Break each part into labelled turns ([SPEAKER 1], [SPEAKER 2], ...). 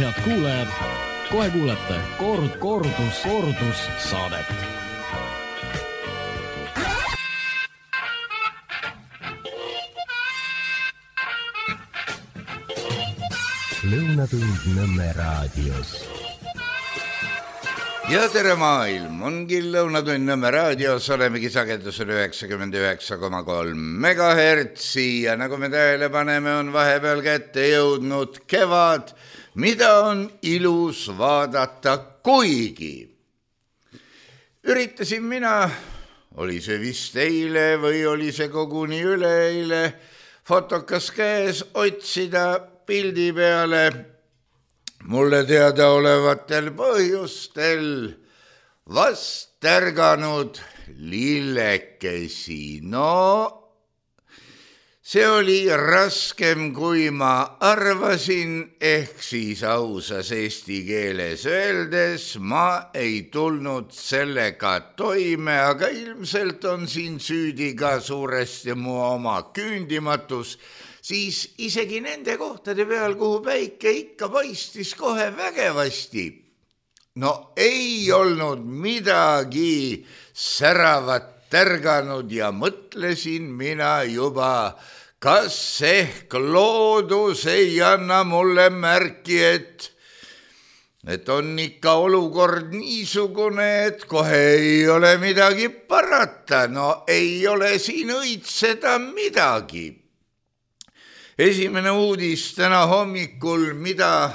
[SPEAKER 1] Head kuulajad, kohe kuulete kordus saadet.
[SPEAKER 2] Lõunatund Nõmme raadios.
[SPEAKER 3] Ja tere maailm, ongi Lõunatund Nõmme raadios, olemegi sagedusel 99,3 megahertsi ja nagu me tähele paneme, on vahepeal kätte jõudnud kevad, mida on ilus vaadata, kuigi. Üritasin mina, oli see vist eile või oli see koguni üleeile, fotokas käes otsida pildi peale mulle teada olevatel põhjustel vast tärganud lillekesi. No, see oli raskem, kui ma arvasin, ehk siis ausas eesti keeles öeldes ma ei tulnud sellega toime, aga ilmselt on siin süüdi ka suuresti mu oma küündimatus, siis isegi nende kohtade peal, kuhu päike ikka paistis kohe vägevasti. No ei olnud midagi säravat tärganud ja mõtlesin mina juba, kas ehk loodus ei anna mulle märki, et on ikka olukord niisugune, et kohe ei ole midagi parata. No ei ole siin õitseda midagi. Esimene uudis täna hommikul, mida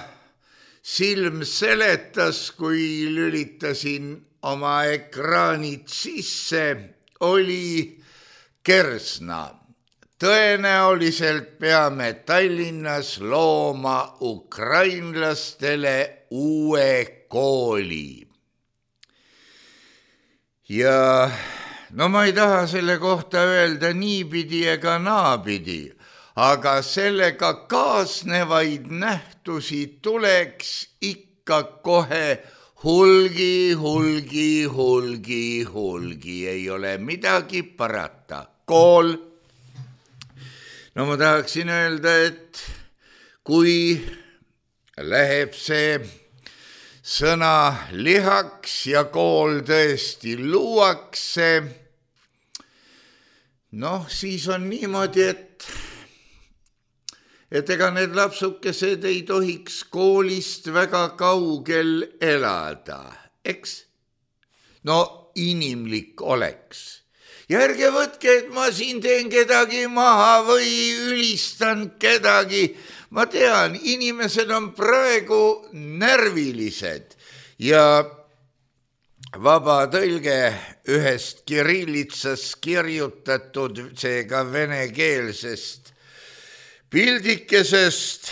[SPEAKER 3] silm seletas, kui lülitasin oma ekraanid sisse, oli Kersna. Tõenäoliselt peame Tallinnas looma ukrainlastele uue kooli. Ja no ma ei taha selle kohta öelda niipidi ega naapidi, aga sellega kaasnevaid nähtusi tuleks ikka kohe hulgi, ei ole midagi parata. Kool. No ma tahaksin öelda, et kui läheb see sõna lihaks ja kool tõesti luuakse, noh, siis on niimoodi, et ega need lapsukesed ei tohiks koolist väga kaugel elada, eks? No inimlik oleks. Ja ärge võtke, et ma siin teen kedagi maha või ülistan kedagi. Ma tean, inimesed on praegu närvilised ja vaba tõlge ühest kirillitsas kirjutatud, seega venekeelsest pildikesest,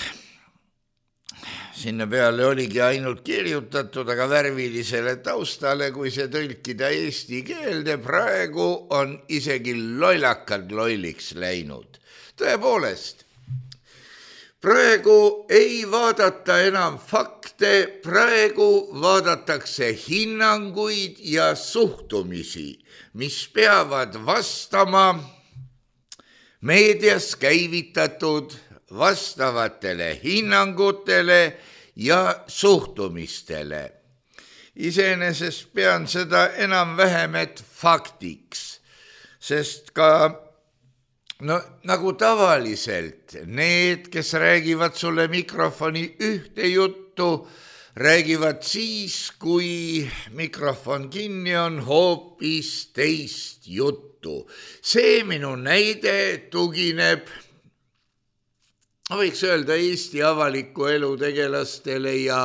[SPEAKER 3] sinna peale oligi ainult kirjutatud, aga värvilisele taustale, kui see tõlkida eesti keelde, praegu on isegi lollakad lolliks läinud. Tõepoolest, praegu ei vaadata enam fakte, praegu vaadatakse hinnanguid ja suhtumisi, mis peavad vastama meedias käivitatud vastavatele hinnangutele ja suhtumistele. Iseenesest pean seda enam-vähem et faktiks, sest ka nagu tavaliselt need, kes räägivad sulle mikrofoni ühte juttu, räägivad siis, kui mikrofon kinni on, hoopis teist juttu. See minu näide tugineb, võiks öelda, Eesti avaliku elu tegelastele ja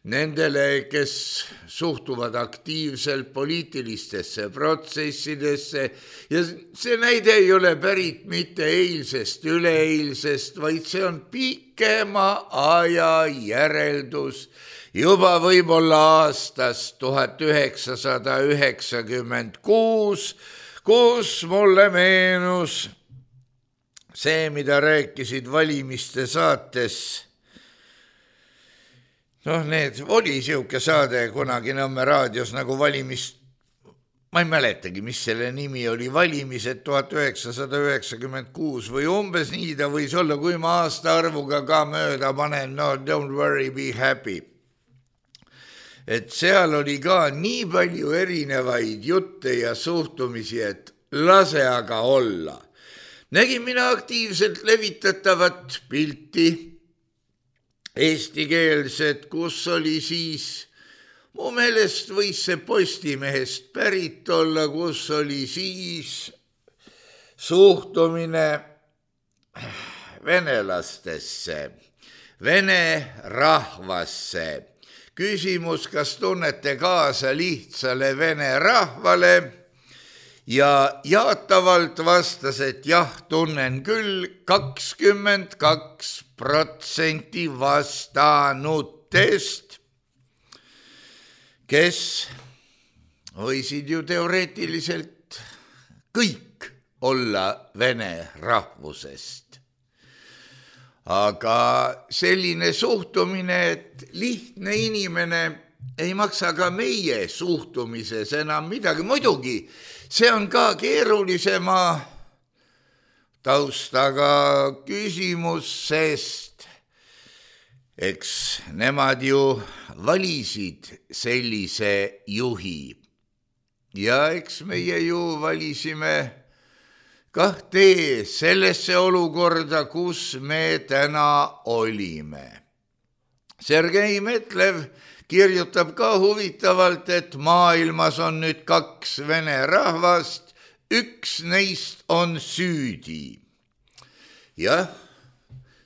[SPEAKER 3] nendele, kes suhtuvad aktiivselt poliitilistesse protsessidesse. Ja see näide ei ole pärit mitte eilsest, üleeilsest, vaid see on pikema aja järeldus juba võib-olla aastast 1996, kus mulle meenus see, mida rääkisid valimiste saates. Noh, oli siuke saade kunagi Nõmme raadios nagu ma ei mäletagi, mis selle nimi oli, valimised 1996 või umbes nii ta võis olla, kui ma aastaarvuga ka mööda panen, no don't worry, be happy. Et seal oli ka nii palju erinevaid jutte ja suhtumisi, et lase aga olla. Nägin mina aktiivselt levitatavat pilti eestikeelset, kus oli siis mu meelest võis see Postimehest pärit olla, kus oli siis suhtumine venelastesse, vene rahvasse. Küsimus, kas tunnete kaasa lihtsale vene rahvale? Ja jaatavalt vastas, et jah, tunnen küll 22% vastanutest, kes võisid ju teoreetiliselt kõik olla vene rahvusest. Aga selline suhtumine, et lihtne inimene ei maksa ka meie suhtumises enam midagi. Muidugi, see on ka keerulisema taustaga küsimus, sest eks nemad ju valisid sellise juhi ja eks meie ju valisime kah tee sellesse olukorda, kus me täna olime. Sergei Metlev kirjutab ka huvitavalt, et maailmas on nüüd 2 vene rahvast, üks neist on süüdi. Jah,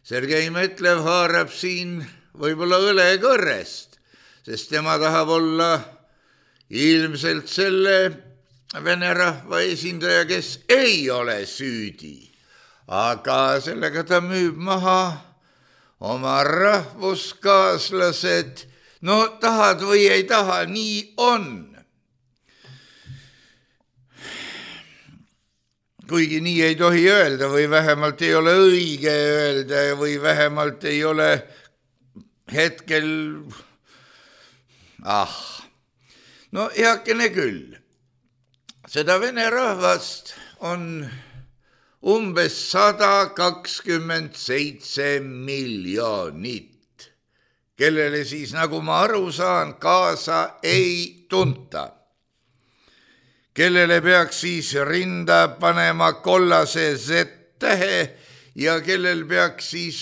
[SPEAKER 3] Sergei Metlev haarab siin võib-olla õlekõrrest, sest tema tahab olla ilmselt selle vene rahva esindaja, kes ei ole süüdi. Aga sellega ta müüb maha oma rahvuskaaslased. No tahad või ei taha, nii on. Kuigi nii ei tohi öelda või vähemalt ei ole õige öelda või vähemalt ei ole hetkel... No heakene küll. Seda vene rahvast on umbes 127 miljonit, kellele siis, nagu ma aru saan, kaasa ei tunta. Kellele peaks siis rinda panema kollase Z-tähe ja kellel peaks siis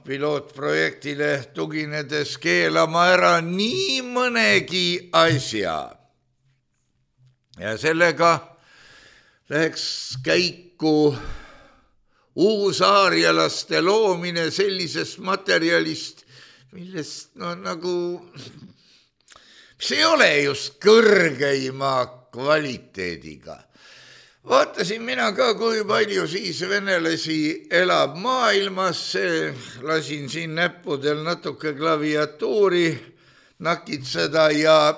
[SPEAKER 3] pilootprojektile tuginedes keelama ära nii mõnegi asja. Ja sellega läheks käiku uusaarjalaste loomine sellisest materjalist, millest mis ei ole just kõrgeima kvaliteediga. Vaatasin mina ka, kui palju siis venelasi elab maailmas, lasin siin näppudel natuke klaviatuuri nakitseda ja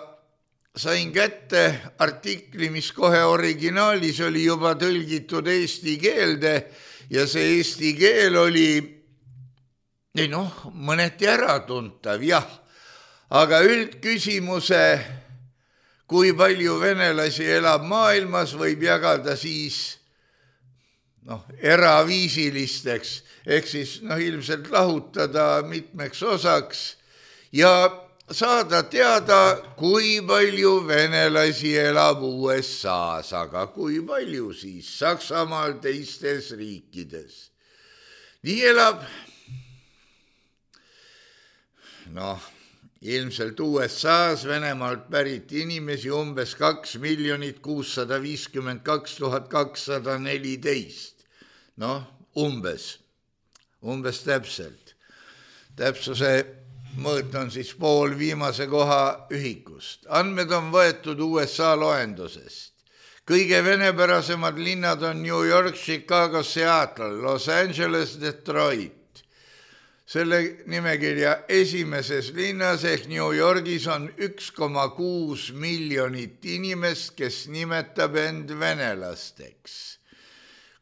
[SPEAKER 3] sain kätte artikli, mis kohe originaalis oli juba tõlgitud eesti keelde ja see eesti keel oli mõneti äratuntav, jah. Aga üldküsimuse, kui palju venelasi elab maailmas, võib jagada siis eraviisilisteks, ehk siis ilmselt lahutada mitmeks osaks ja saada teada, kui palju venelasi elab USA-s, aga kui palju siis Saksamaal, teistes riikides. Nii elab, ilmselt USA-s Venemaalt pärit inimesi umbes 2 652 214. Umbes täpselt. Täpsuse mõõt on siis pool viimase koha ühikust. Andmed on võetud USA loendusest. Kõige venepärasemad linnad on New York, Chicago, Seattle, Los Angeles, Detroit. Selle nimekirja esimeses linnas ehk New Yorgis on 1,6 miljonit inimest, kes nimetab end venelasteks.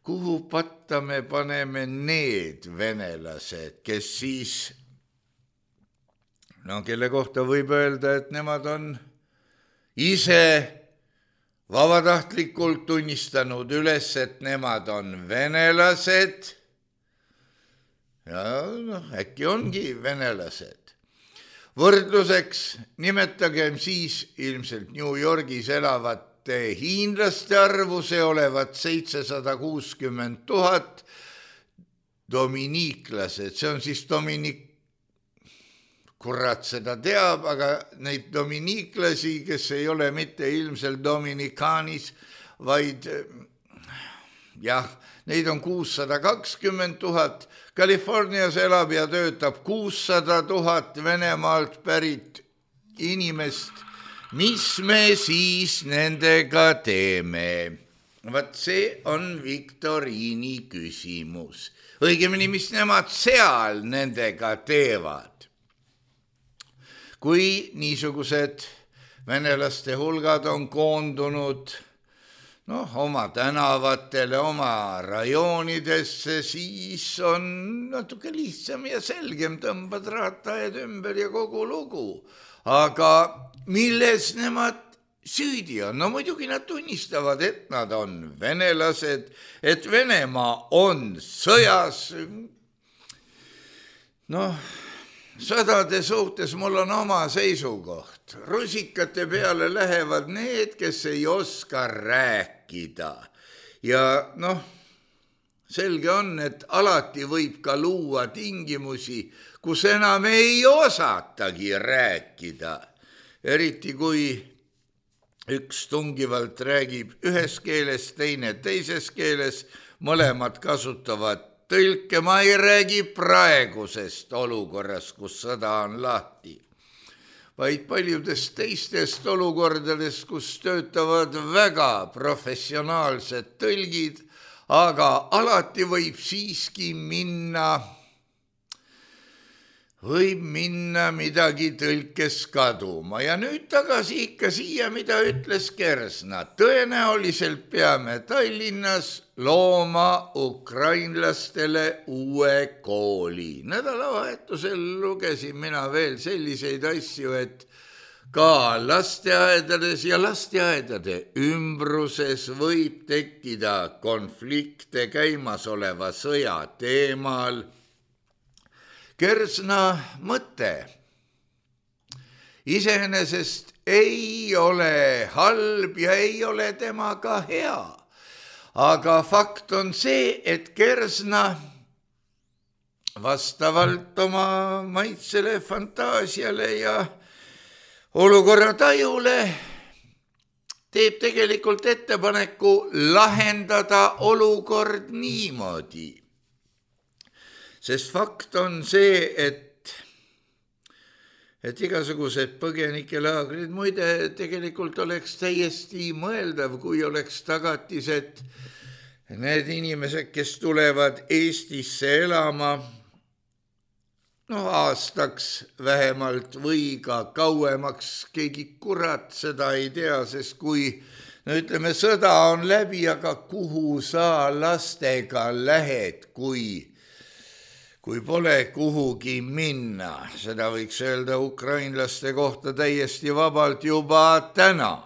[SPEAKER 3] Kuhu patta me paneme need venelased, kes siis, kelle kohta võib öelda, et nemad on ise vabatahtlikult tunnistanud üles, et nemad on venelased ja äkki ongi venelased. Võrdluseks nimetagem siis ilmselt New Yorgis elavate hiinlaste arvu, see olevat 760 000, dominiiklased, see on siis kurat seda teab, aga neid dominiiklasi, kes ei ole mitte ilmselt Dominikaanis, vaid jah, neid on 620 000, Californias elab ja töötab 600 000 Venemaalt pärit inimest. Mis me siis nendega teeme? Vaat see on viktoriini küsimus. Õigemini, mis nemad seal nendega teevad? Kui niisugused venelaste hulgad on koondunud oma tänavatele, oma rajoonidesse, siis on natuke lihtsam ja selgem, tõmbad raataed ümber ja kogu lugu. Aga milles nemad süüdi on? No muidugi nad tunnistavad, et nad on venelased, et Venemaa on sõjas. Sõdade suhtes mul on oma seisukoht. Rusikate peale lähevad need, kes ei oska rääkida. Ja selge on, et alati võib ka luua tingimusi, kus enam ei osatagi rääkida. Eriti kui üks tungivalt räägib ühes keeles, teine teises keeles, mõlemad kasutavad tõlke. Ma ei räägi praegusest olukorrast, kus sõda on lahti, vaid paljudest teistest olukordadest, kus töötavad väga professionaalsed tõlgid, aga alati võib siiski minna midagi tõlkes kaduma. Ja nüüd tagasi ikka siia, mida ütles Kersna. Tõenäoliselt peame Tallinnas looma ukrainlastele uue kooli. Nädalavahetusel lugesin mina veel selliseid asju, et ka lasteaedades ja lasteaedade ümbruses võib tekkida konflikte käimasoleva sõja teemal. Kersna mõte iseenesest ei ole halb ja ei ole temaga hea. Aga fakt on see, et Kersna vastavalt oma maitsele, fantaasiale ja olukorra tajule teeb tegelikult ettepaneku lahendada olukord niimoodi. Sest fakt on see, et igasugused põgenikelaagrid, muide tegelikult oleks täiesti mõeldav, kui oleks tagatis, et need inimesed, kes tulevad Eestisse elama, aastaks vähemalt või ka kauemaks, keegi kurat seda ei tea, sest kui ütleme, sõda on läbi, aga kuhu sa lastega lähed, kui pole kuhugi minna. Seda võiks öelda ukrainlaste kohta täiesti vabalt juba täna.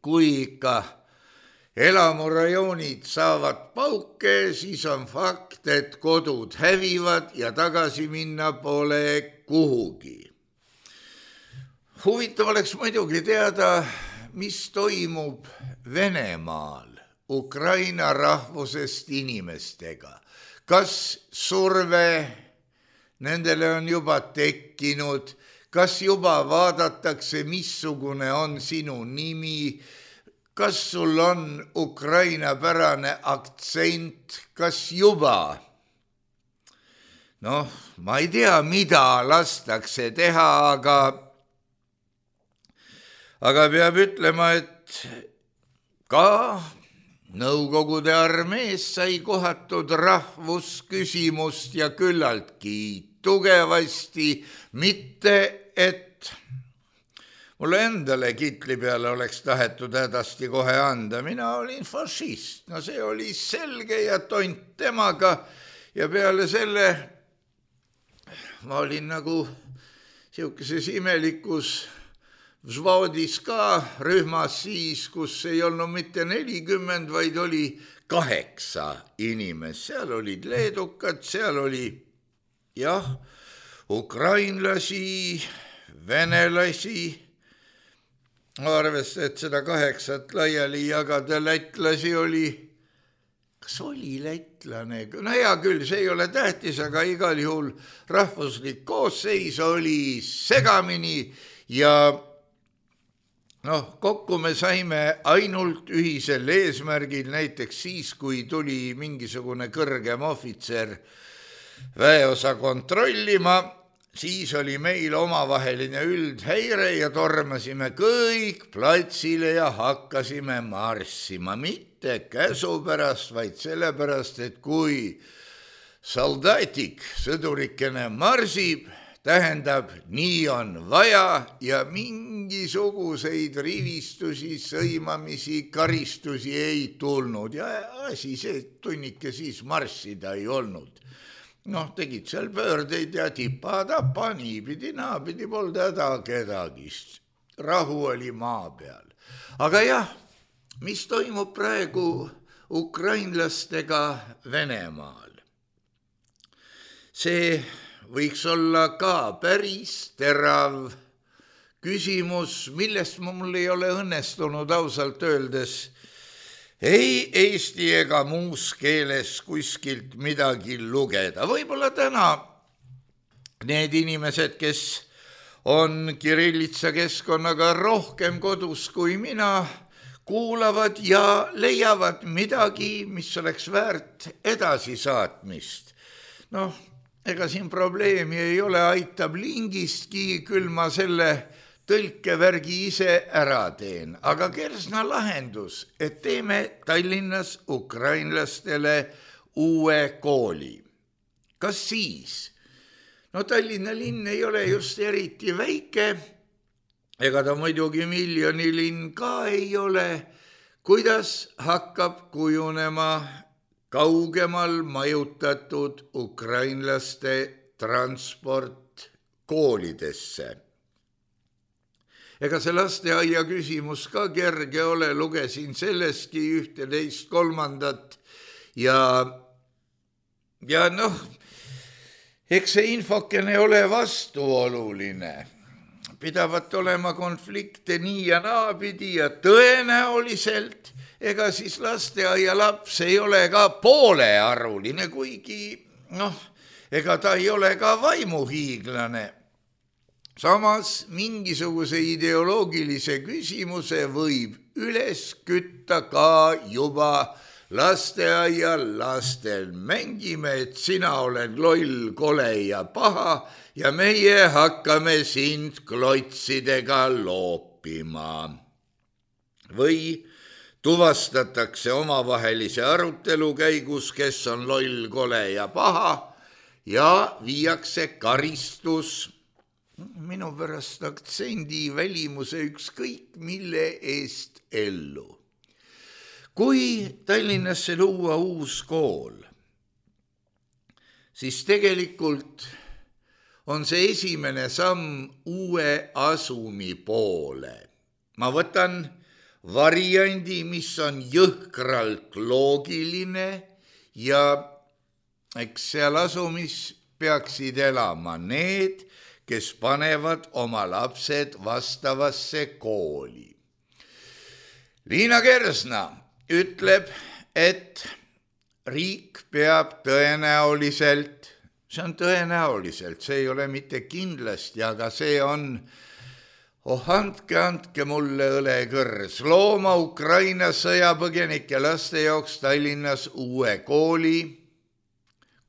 [SPEAKER 3] Kui ikka elamurajoonid saavad pauke, siis on fakt, et kodud hävivad ja tagasi minna pole kuhugi. Huvitav oleks muidugi teada, mis toimub Venemaal Ukraina rahvusest inimestega. Kas surve nendele on juba tekkinud, kas juba vaadatakse, missugune on sinu nimi, kas sul on ukrainapärane aktsent, kas juba? Ma ei tea, mida lastakse teha, aga peab ütlema, et ka Nõukogude armees sai kohatud rahvusküsimust ja küllaltki tugevasti, mitte et mulle endale kitli peale oleks tahetud hädasti kohe anda. Mina olin fašist, see oli selge ja tont temaga ja peale selle ma olin nagu siukeses imelikus Vsvodis ka rühmas siis, kus ei olnud mitte 40, vaid oli 8 inimest. Seal olid leedukad, seal oli ukrainlasi, venelasi, arvest, et seda 8 laiali jagada, lätlasi oli, kas oli lätlane? No hea küll, see ei ole tähtis, aga igal juhul rahvuslik koosseis oli segamini ja kokku me saime ainult ühisel eesmärgil, näiteks siis, kui tuli mingisugune kõrgem ohvitser väeosa kontrollima, siis oli meil omavaheline üldhäire ja tormasime kõik platsile ja hakkasime marssima. Mitte käsu pärast, vaid sellepärast, et kui soldatik, sõdurikene marsib, tähendab, nii on vaja ja mingisuguseid rivistusi, sõimamisi, karistusi ei tulnud ja asi see tunnike siis marssida ei olnud. Tegid seal pöördeid ja tipa-tapa, niipidi, naapidi, polnud häda kedagist. Rahu oli maa peal. Aga jah, mis toimub praegu ukrainlastega Venemaal? See võiks olla ka päris terav küsimus, millest mul ei ole õnnestunud ausalt öeldes ei eesti ega muus keeles kuskilt midagi lugeda. Võib-olla täna need inimesed, kes on kirillitsa keskkonnaga rohkem kodus kui mina, kuulavad ja leiavad midagi, mis oleks väärt edasisaatmist. Ega siin probleemi ei ole, aitab lingistki, küll ma selle tõlkevärgi ise ära teen. Aga Kersna lahendus, et teeme Tallinnas ukrainlastele uue kooli. Kas siis? Tallinna linn ei ole just eriti väike, ega ta muidugi miljonilinn ka ei ole. Kuidas hakkab kujunema kaugemal majutatud ukrainlaste transport koolidesse? Ega see lasteaia küsimus ka kerge ole, lugesin sellestki 11/3 ja eks see infokene ole vastuoluline. Pidavat olema konflikte nii ja naapidi ja tõenäoliselt ega siis lasteaia laps ei ole ka poolearvuline, kuigi ega ta ei ole ka vaimuhiiglane. Samas mingisuguse ideoloogilise küsimuse võib üles kütta ka juba lasteaia lastel. Mängime, et sina oled loll, kole ja paha ja meie hakkame sind klotsidega loopima. Või tuvastatakse omavahelise arutelu käigus, kes on loll, kole ja paha ja viiakse karistus minu pärast aktsendi välimuse ükskõik mille eest ellu. Kui Tallinnasse luua uus kool, siis tegelikult on see esimene samm uue asumi poole. Ma võtan variandi, mis on jõhkralt loogiline ja eks seal asumis peaksid elama need, kes panevad oma lapsed vastavasse kooli. Liina Kersna ütleb, et riik peab tõenäoliselt, see on tõenäoliselt, see ei ole mitte kindlasti, aga see on, andke mulle õlekõrs, looma Ukraina sõjapõgenike laste jaoks Tallinnas uue kooli,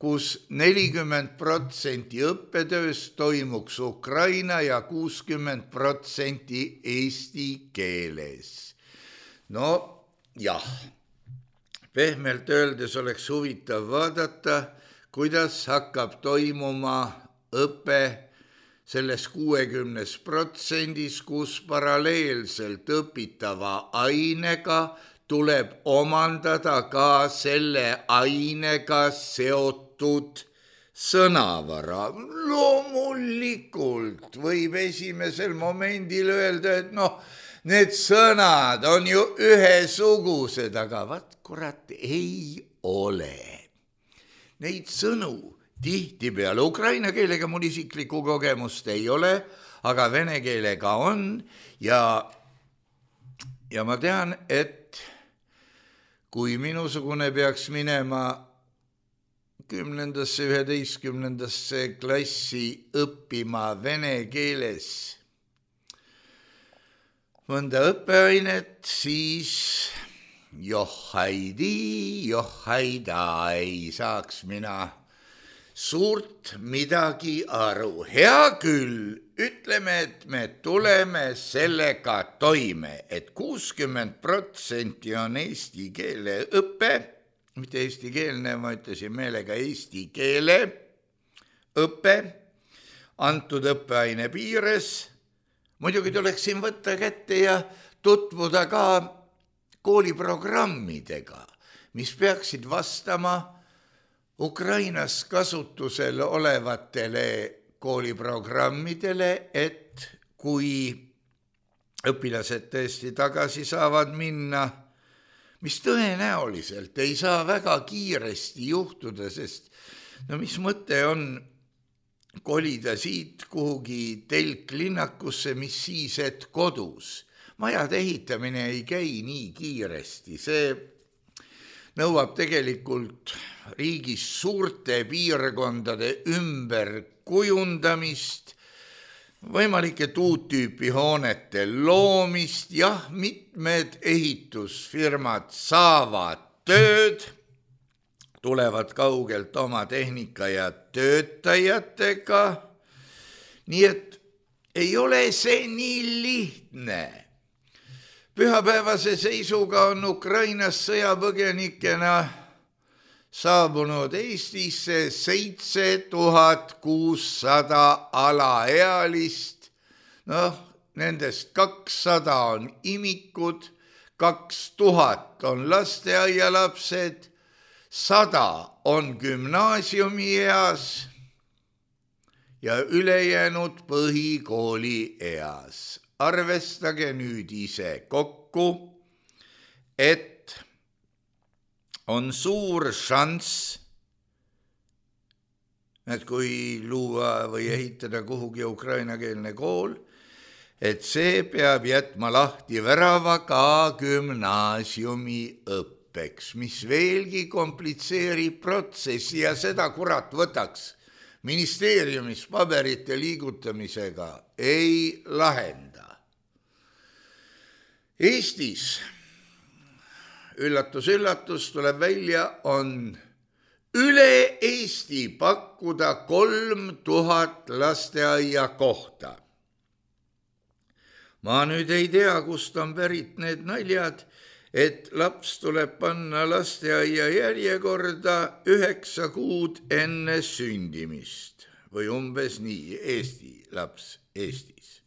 [SPEAKER 3] kus 40% õppetööst toimuks ukraina ja 60% eesti keeles. Jah, pehmelt öeldes oleks huvitav vaadata, kuidas hakkab toimuma õpe selles 60%, kus paralleelselt õpitava ainega tuleb omandada ka selle ainega seotud sõnavara. Loomulikult võib esimesel momendil öelda, et need sõnad on ju ühesugused, aga vaat kurat ei ole. Neid sõnu tihtipeale ukraina keelega mul isiklikku kogemust ei ole, aga vene keelega on ja ma tean, et kui minusugune peaks minema 10., 11. klassi õppima vene keeles mõnda õppeainet, siis johaida ei saaks mina suurt midagi aru. Hea küll, ütleme, et me tuleme sellega toime, et 60% on eesti keele õpe, mitte eestikeelne, ma ütlesin meelega eesti keele õpe, antud õppeaine piires. Muidugi tuleks siin võtta kätte ja tutvuda ka kooliprogrammidega, mis peaksid vastama Ukrainas kasutusel olevatele kooliprogrammidele, et kui õpilased tõesti tagasi saavad minna, mis tõenäoliselt ei saa väga kiiresti juhtuda, sest mis mõte on kolida siit kuhugi telklinnakusse, mis siis, et kodus. Majade ehitamine ei käi nii kiiresti, see nõuab tegelikult riigis suurte piirkondade ümberkujundamist, võimalike uut-tüüpi hoonete loomist, jah, mitmed ehitusfirmad saavad tööd, tulevad kaugelt oma tehnika ja töötajatega, nii et ei ole see nii lihtne. Pühapäevase seisuga on Ukrainas sõjapõgenikena saabunud Eestisse 7600 alaealist. Nendest 200 on imikud, 2000 on lasteaialapsed, 100 on gümnaasiumi eas ja ülejäänud põhikooli eas. Arvestage nüüd ise kokku, et on suur šanss, et kui luua või ehitada kuhugi ukrainakeelne kool, et see peab jätma lahti värava ka gümnaasiumi õppeks, mis veelgi komplitseerib protsessi ja seda kurat võtaks ministeeriumis paberite liigutamisega ei lahenda. Eestis, üllatus, tuleb välja, on üle Eesti pakkuda 3000 lasteaia kohta. Ma nüüd ei tea, kust on pärit need naljad, et laps tuleb panna lasteaia järjekorda 9 kuud enne sündimist või umbes nii, Eesti laps Eestis.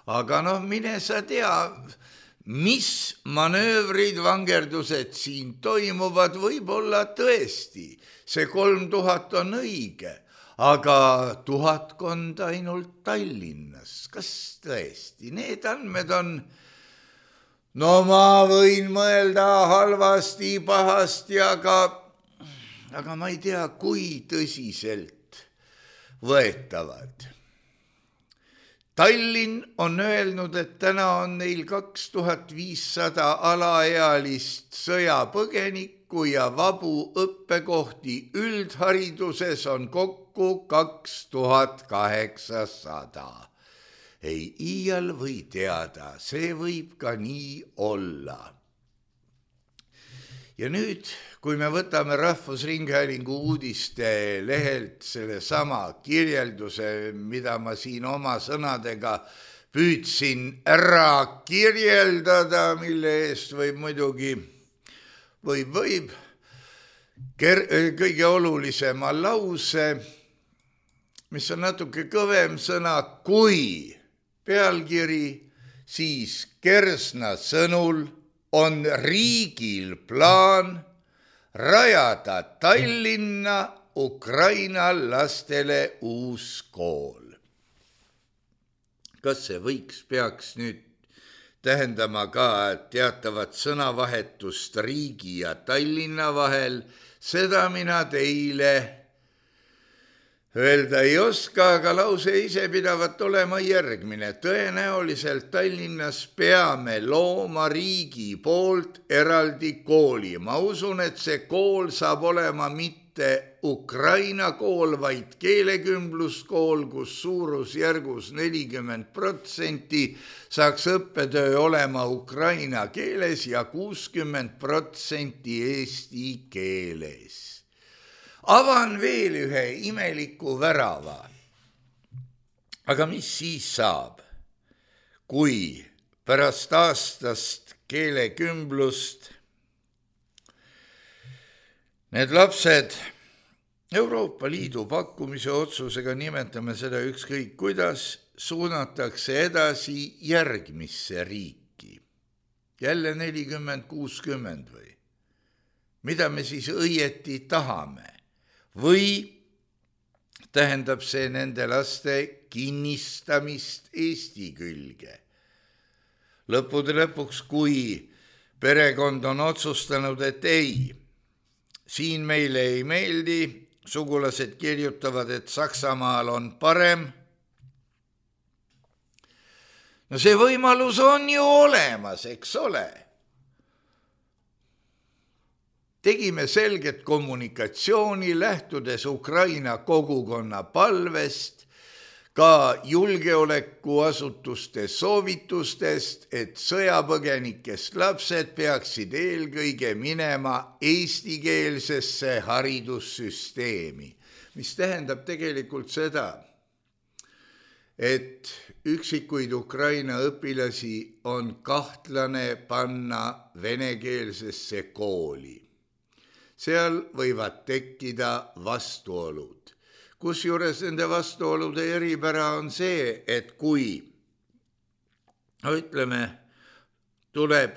[SPEAKER 3] Aga mine sa tea, mis manöövrid, vangerdused siin toimuvad, võib-olla tõesti, see 3000 on õige, aga 1000 ainult Tallinnas, kas tõesti, need andmed on, ma võin mõelda halvasti, pahasti, aga ma ei tea, kui tõsiselt võetavad. Tallinn on öelnud, et täna on neil 2500 alaealist sõjapõgenikku ja vabu õppekohti üldhariduses on kokku 2800. Ei iial või teada, see võib ka nii olla. Ja nüüd, kui me võtame Rahvusringhäälingu uudiste lehelt selle sama kirjelduse, mida ma siin oma sõnadega püüdsin ära kirjeldada, mille eest võib muidugi, kõige olulisema lause, mis on natuke kõvem sõna kui pealkiri, siis Kersna sõnul on riigil plaan rajada Tallinna Ukraina lastele uus kool. Kas see peaks nüüd tähendama ka teatavat sõnavahetust riigi ja Tallinna vahel, seda mina teile öelda ei oska, aga lause ise pidavat olema järgmine. Tõenäoliselt Tallinnas peame looma riigi poolt eraldi kooli. Ma usun, et see kool saab olema mitte Ukraina kool, vaid keelekümbluskool, kus suurusjärgus 40% saaks õppetöö olema Ukraina keeles ja 60% eesti keeles. Avan veel ühe imeliku värava. Aga mis siis saab, kui pärast aastast keelekümblust need lapsed Euroopa Liidu pakkumise otsusega, nimetame seda ükskõik kuidas, suunatakse edasi järgmisse riiki. Jälle 40-60 või? Mida me siis õieti tahame? Või tähendab see nende laste kinnistamist Eesti külge? Lõppude lõpuks, kui perekond on otsustanud, et ei, siin meile ei meeldi, sugulased kirjutavad, et Saksamaal on parem. No see võimalus on ju olemas, eks ole. Tegime selget kommunikatsiooni, lähtudes Ukraina kogukonna palvest, ka julgeolekuasutuste soovitustest, et sõjapõgenikest lapsed peaksid eelkõige minema eestikeelsesse haridussüsteemi, mis tähendab tegelikult seda, et üksikuid Ukraina õpilasi on kahtlane panna venekeelsesse kooli. Seal võivad tekkida vastuolud. Kusjuures nende vastuolude eripära on see, et kui, ütleme, tuleb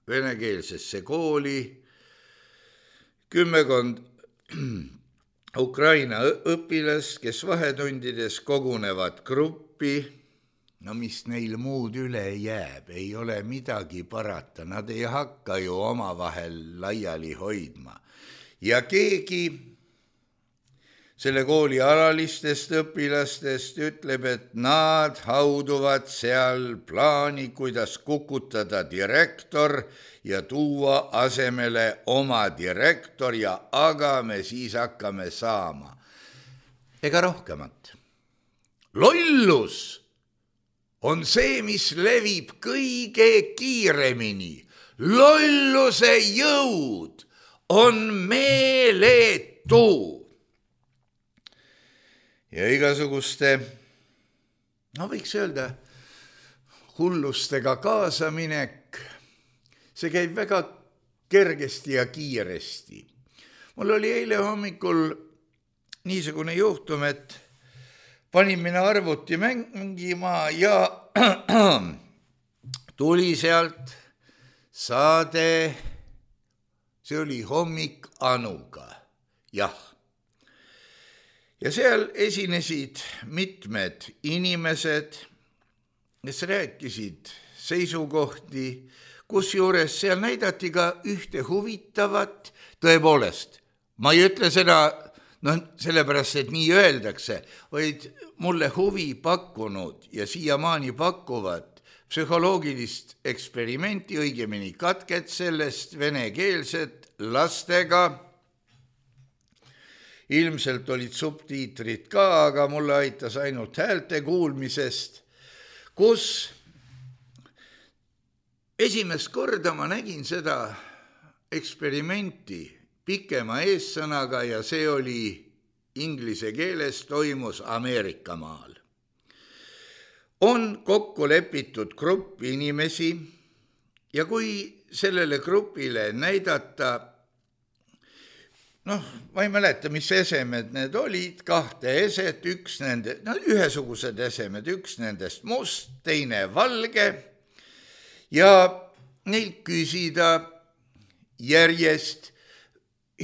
[SPEAKER 3] venekeelsesse kooli 10 Ukraina õpilast, kes vahetundides kogunevad gruppi, no mis neil muud üle jääb, ei ole midagi parata, nad ei hakka ju omavahel laiali hoidma. Ja keegi selle kooli alalistest õpilastest ütleb, et nad hauduvad seal plaani, kuidas kukutada direktor ja tuua asemele oma direktor ja aga me siis hakkame saama. Ega rohkemat. Lollus on see, mis levib kõige kiiremini. Lolluse jõud on meeletu. Ja igasuguste, võiks öelda, hullustega kaasaminek, see käib väga kergesti ja kiiresti. Mul oli eile hommikul niisugune juhtum, et panin mina arvuti mängima ja tuli sealt saade, see oli Hommik Anuga, jah. Ja seal esinesid mitmed inimesed, kes rääkisid seisukohti, kusjuures seal näidati ka ühte huvitavat, tõepoolest. Ma ei ütle seda sellepärast, et nii öeldakse, vaid mulle huvi pakkunud ja siiamaani pakuvad psühholoogilist eksperimenti, õigemini katket sellest venekeelset lastega. Ilmselt olid subtiitrid ka, aga mulle aitas ainult häälte kuulmisest, kus esimest korda ma nägin seda eksperimenti pikema eessõnaga ja see oli inglise keeles, toimus Ameerikamaal. On kokku lepitud grupp inimesi ja kui sellele grupile näidata, ma ei mäleta, mis esemed need olid, 2 eset, ühesugused esemed, üks nendest must, teine valge ja neilt küsida järjest,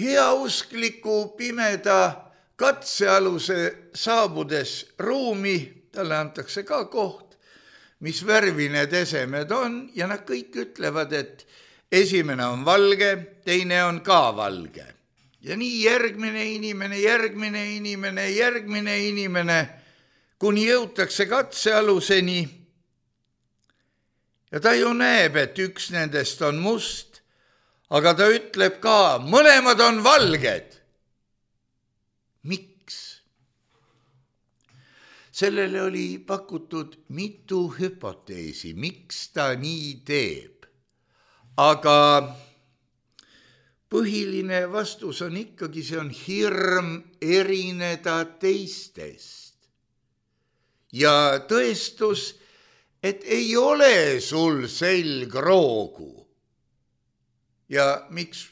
[SPEAKER 3] heauskliku pimeda katsealuse saabudes ruumi, talle antakse ka koht, mis värvi need esemed on ja nad kõik ütlevad, et esimene on valge, teine on ka valge. Ja nii järgmine inimene, kuni jõutakse katsealuseni ja ta ju näeb, et üks nendest on must, aga ta ütleb ka, mõlemad on valged. Miks? Sellele oli pakutud mitu hüpoteesi, miks ta nii teeb. Aga põhiline vastus on ikkagi, see on hirm erineda teistest. Ja tõestus, et ei ole sul selgroogu. Ja miks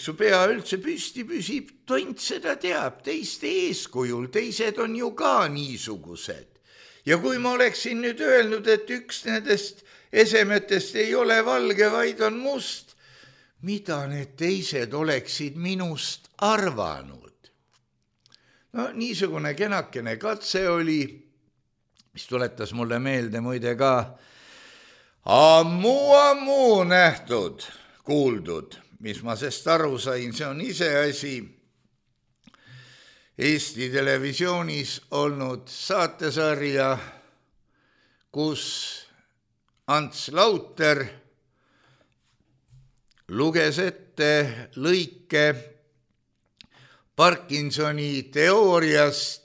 [SPEAKER 3] su pea üldse püsti püsib, tont seda teab, teiste eeskujul, teised on ju ka niisugused. Ja kui ma oleksin nüüd öelnud, et üks nendest esemetest ei ole valge, vaid on must, mida need teised oleksid minust arvanud? No niisugune kenakene katse oli, mis tuletas mulle meelde muide ka ammu nähtud, kuuldud, mis ma sest aru sain, see on iseasi Eesti Televisioonis olnud saatesarja, kus Ants Lauter luges ette lõike Parkinsoni teooriast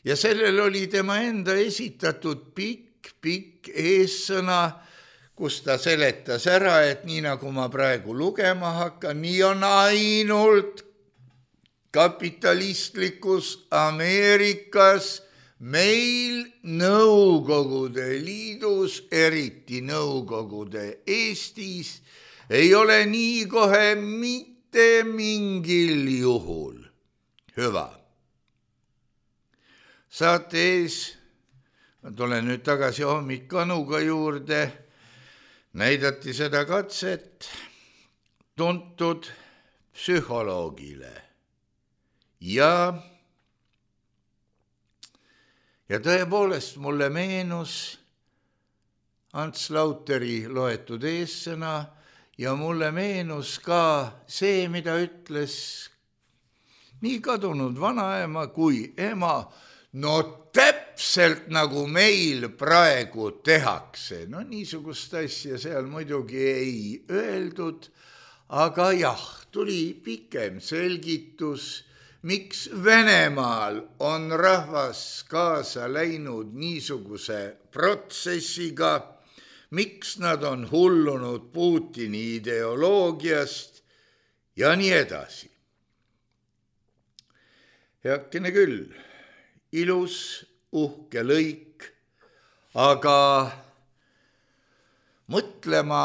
[SPEAKER 3] ja sellel oli tema enda esitatud pikk eessõna, kus ta seletas ära, et nii nagu ma praegu lugema hakkan, nii on ainult kapitalistlikus Ameerikas, meil Nõukogude Liidus, eriti Nõukogude Eestis, ei ole nii kohe mitte mingil juhul. Hüva. Saate ees, ma tulen nüüd tagasi Hommik Anuga juurde, näidati seda katset tuntud psühholoogile ja tõepoolest mulle meenus Ants Lauteri loetud eessõna ja mulle meenus ka see, mida ütles nii kadunud vanaema kui ema, no täpselt nagu meil praegu tehakse. No niisugust asja seal muidugi ei öeldud, aga jah, tuli pikem selgitus, miks Venemaal on rahvas kaasa läinud niisuguse protsessiga, miks nad on hullunud Putini ideoloogiast ja nii edasi. Heakene küll. Ilus, uhke lõik, aga mõtlema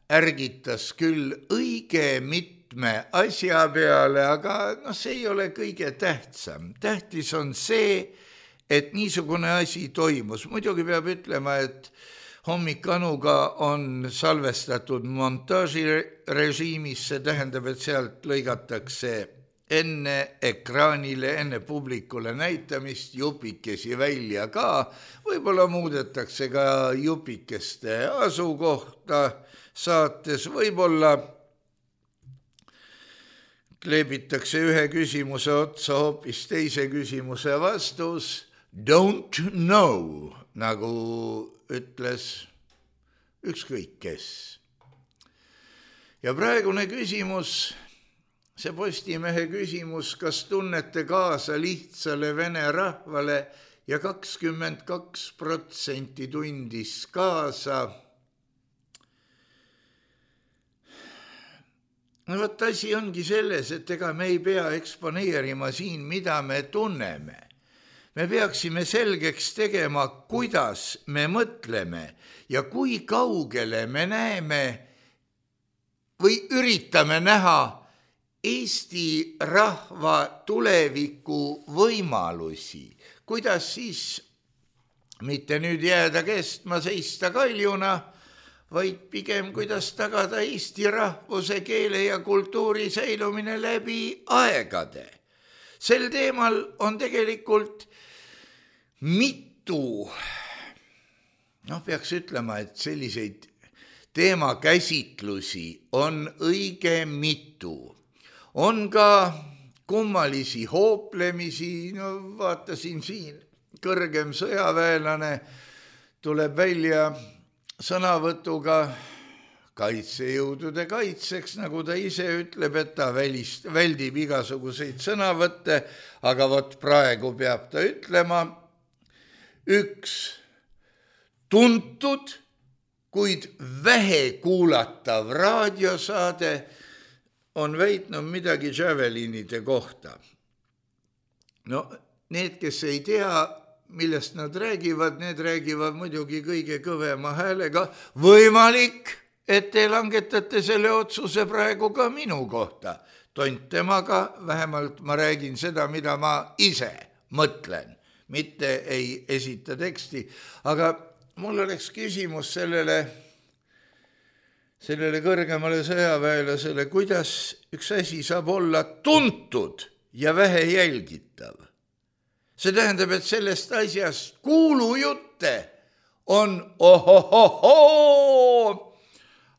[SPEAKER 3] ärgitas küll õige mitme asja peale, aga see ei ole kõige tähtsam. Tähtis on see, et niisugune asi toimus. Muidugi peab ütlema, et Hommik Anuga on salvestatud montaažirežiimis, see tähendab, et sealt lõigatakse enne ekraanile, enne publikule näitamist jupikesi välja ka, võib-olla muudetakse ka jupikeste asukohta saates, võib-olla kleebitakse ühe küsimuse otsa hoopis teise küsimuse vastus, don't know, nagu ütles ükskõik kes. Ja praegune küsimus, see Postimehe küsimus, kas tunnete kaasa lihtsale vene rahvale ja 22% tundis kaasa. No võt asi ongi selles, et ega me ei pea eksponeerima siin, mida me tunneme. Me peaksime selgeks tegema, kuidas me mõtleme ja kui kaugele me näeme või üritame näha Eesti rahva tuleviku võimalusi, kuidas siis mitte nüüd jääda kestma seista kaljuna, vaid pigem kuidas tagada eesti rahvuse, keele ja kultuuri säilumine läbi aegade. Sel teemal on tegelikult mitu, peaks ütlema, et selliseid teemakäsitlusi on õige mitu. On ka kummalisi hooplemisi, vaatasin siin, kõrgem sõjaväelane tuleb välja sõnavõtuga kaitsejõudude kaitseks, nagu ta ise ütleb, et ta väldib igasuguseid sõnavõtte, aga vot praegu peab ta ütlema, üks tuntud, kuid vähe kuulatav raadiosaade on väitnud midagi Javelinide kohta. Need, kes ei tea, millest nad räägivad, need räägivad muidugi kõige kõvema häälega. Võimalik, et te langetate selle otsuse praegu ka minu kohta. Tont temaga, vähemalt ma räägin seda, mida ma ise mõtlen, mitte ei esita teksti. Aga mul oleks küsimus sellele kõrgemale sõjaväelasele, kuidas üks asi saab olla tuntud ja vähe jälgitav. See tähendab, et sellest asjast kuulujutte on ohohohoo,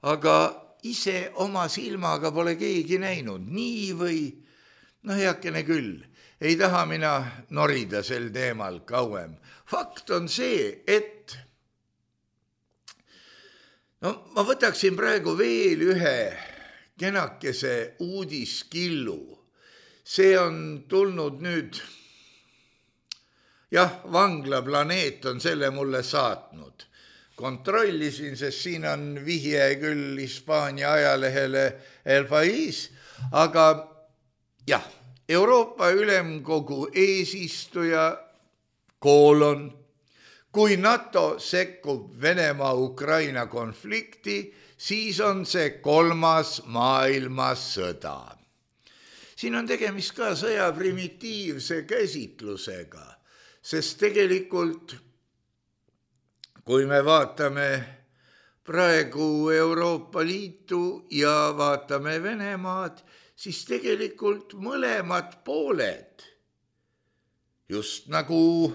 [SPEAKER 3] aga ise oma silmaga pole keegi näinud. Nii või, heakene küll, ei taha mina norida sel teemal kauem. Fakt on see, et ma võtaksin praegu veel ühe kenakese uudiskillu. See on tulnud nüüd, Vanglaplaneet on selle mulle saatnud. Kontrollisin, sest siin on vihje küll Hispaania ajalehele El País, aga Euroopa Ülemkogu eesistuja : kui NATO sekkub Venemaa-Ukraina konflikti, siis on see 3. maailmasõda. Siin on tegemist ka sõja primitiivse käsitlusega, sest tegelikult, kui me vaatame praegu Euroopa Liitu ja vaatame Venemaad, siis tegelikult mõlemad pooled, just nagu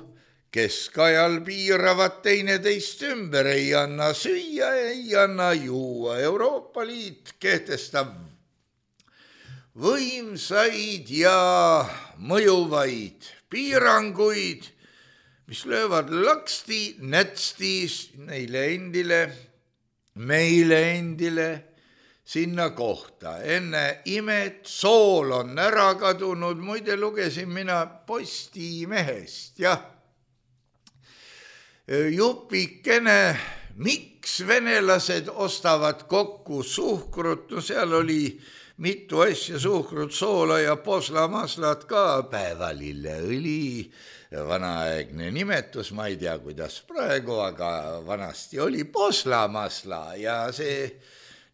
[SPEAKER 3] keskajal piiravad teineteist ümber, ei anna süüa, ei anna juua. Euroopa Liit kehtestab võimsaid ja mõjuvaid piiranguid, mis löövad laksti, nätstis neile endile, meile endile sinna kohta. Enne imet sool on ära kadunud, muide lugesin mina Postimehest, jupikene, miks venelased ostavad kokku suhkrut, seal oli mitu asja, suhkrut, soola ja poslamaslat ka, päevalilleõli, vanaaegne nimetus, ma ei tea, kuidas praegu, aga vanasti oli poslamasla ja see,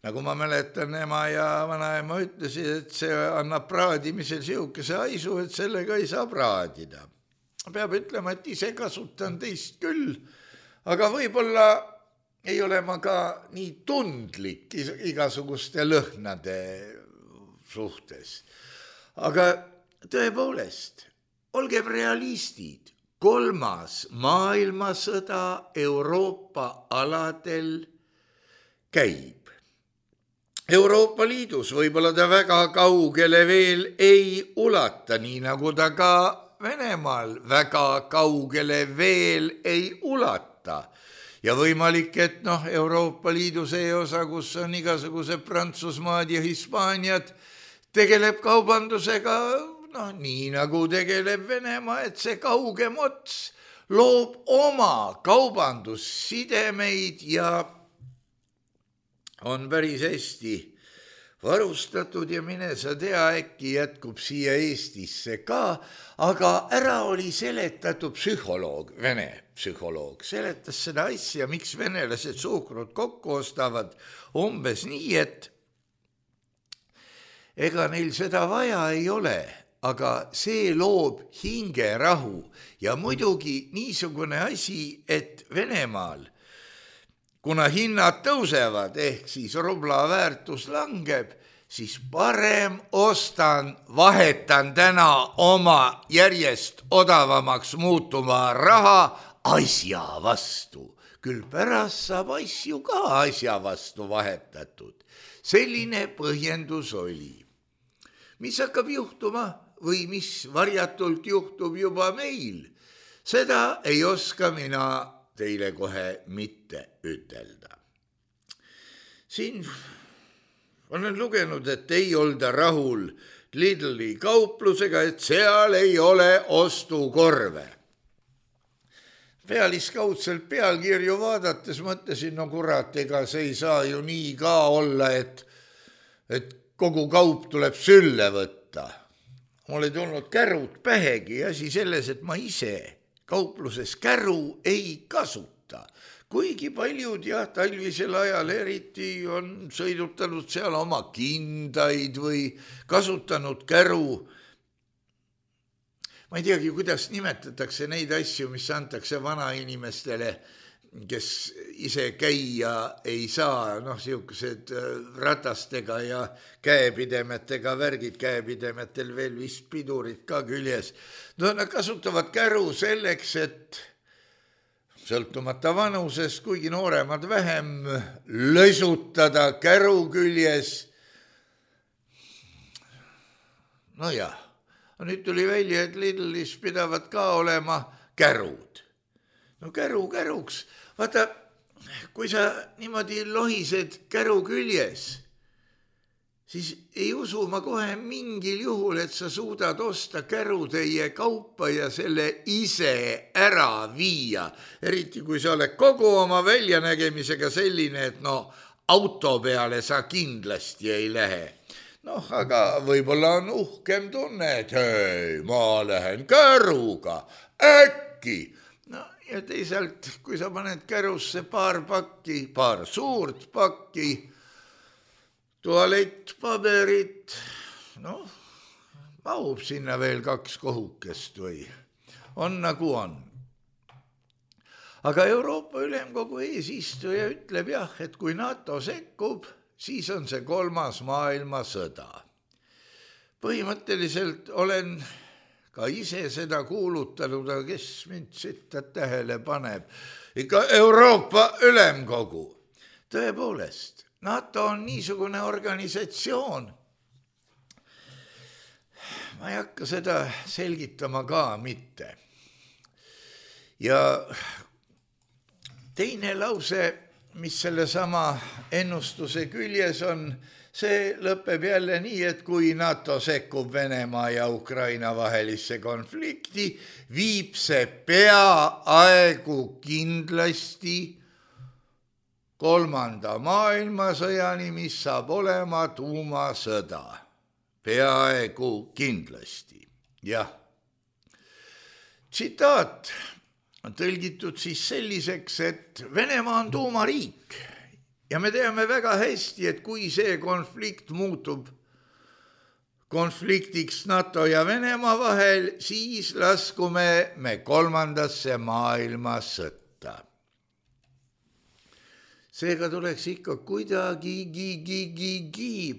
[SPEAKER 3] nagu ma mäletan, ema ja vanaema ütlesid, et see annab praadimisel siukese haisu, et sellega ei saa praadida. Peab ütlema, et ise kasutan teist küll, aga võib-olla ei ole ma ka nii tundlik igasuguste lõhnade suhtes. Aga tõepoolest, olgem realistid, 3. maailmasõda Euroopa aladel käib. Euroopa Liidus võib-olla ta väga kaugele veel ei ulata, nii nagu ta ka Venemaal väga kaugele veel ei ulata. Ja võimalik, et Euroopa Liidu see osa, kus on igasugused Prantsusmaad ja Hispaaniad, tegeleb kaubandusega nii nagu tegeleb Venemaa, et see kaugem ots loob oma kaubandussidemeid ja on päris hästi varustatud ja mine sa tea, äkki jätkub siia Eestisse ka, aga ära oli seletatud psühholoog, vene psühholoog, seletas seda asja, miks venelased suhkrut kokku ostavad umbes nii, et ega neil seda vaja ei ole, aga see loob hingerahu ja muidugi niisugune asi, et Venemaal, kuna hinnad tõusevad, ehk siis rubla väärtus langeb, siis parem vahetan täna oma järjest odavamaks muutuma raha asja vastu. Küll pärast saab asju ka asja vastu vahetatud. Selline põhjendus oli. Mis hakkab juhtuma või mis varjatult juhtub juba meil, seda ei oska mina teile kohe mitte ütelda. Siin olen lugenud, et ei olda rahul Lidli kauplusega, et seal ei ole ostukorve. Pealiskaudselt pealkirju vaadates mõtlesin, no kurat, ega see ei saa ju nii ka olla, et kogu kaup tuleb sülle võtta. Mul ei tulnud kärud pähegi, asi selles, et ma ise kaupluses käru ei kasuta. Kuigi paljud talvisel ajal eriti on sõidutanud seal oma kindaid või kasutanud käru. Ma ei teagi, kuidas nimetatakse neid asju, mis antakse vanainimestele, kes ise käia ei saa, siukesed ratastega ja käepidemetega värgid, käepidemetel veel vist pidurid ka küljes. Nad kasutavad käru selleks, et sõltumata vanusest, kuigi nooremad vähem, lösutada käru küljes. No jah, nüüd tuli välja, et Lidlis pidavad ka olema kärud. No käru käruks. Vaata, kui sa niimoodi lohised käru küljes, siis ei usu ma kohe mingil juhul, et sa suudad osta kärutäie kaupa ja selle ise ära viia. Eriti kui sa oled kogu oma väljanägemisega selline, et auto peale sa kindlasti ei lähe. Aga võib-olla on uhkem tunne, et hei, ma lähen käruga, äkki. Ja teisalt, kui sa paned kärusse paar suurt pakki, tualettpaberit, mahub sinna veel 2 kohukest või on nagu on. Aga Euroopa Ülemkogu eesistuja ütleb jah, et kui NATO sekkub, siis on see 3. maailmasõda. Põhimõtteliselt olen ka ise seda kuulutanud, aga kes mind sitta tähele paneb. Ikka Euroopa Ülemkogu. Tõepoolest, NATO on niisugune organisatsioon. Ma ei hakka seda selgitama ka mitte. Ja teine lause, mis selle sama ennustuse küljes on, see lõpeb jälle nii, et kui NATO sekkub Venemaa ja Ukraina vahelisse konflikti, viib see peaaegu kindlasti 3. maailmasõjani, mis saab olema tuumasõda. Peaaegu kindlasti. Jah. Tsitaat on tõlgitud siis selliseks, et Venemaa on tuumariik ja me teame väga hästi, et kui see konflikt muutub konfliktiks NATO ja Venemaa vahel, siis laskume me 3. maailmasõtta. Seega tuleks ikka kuidagi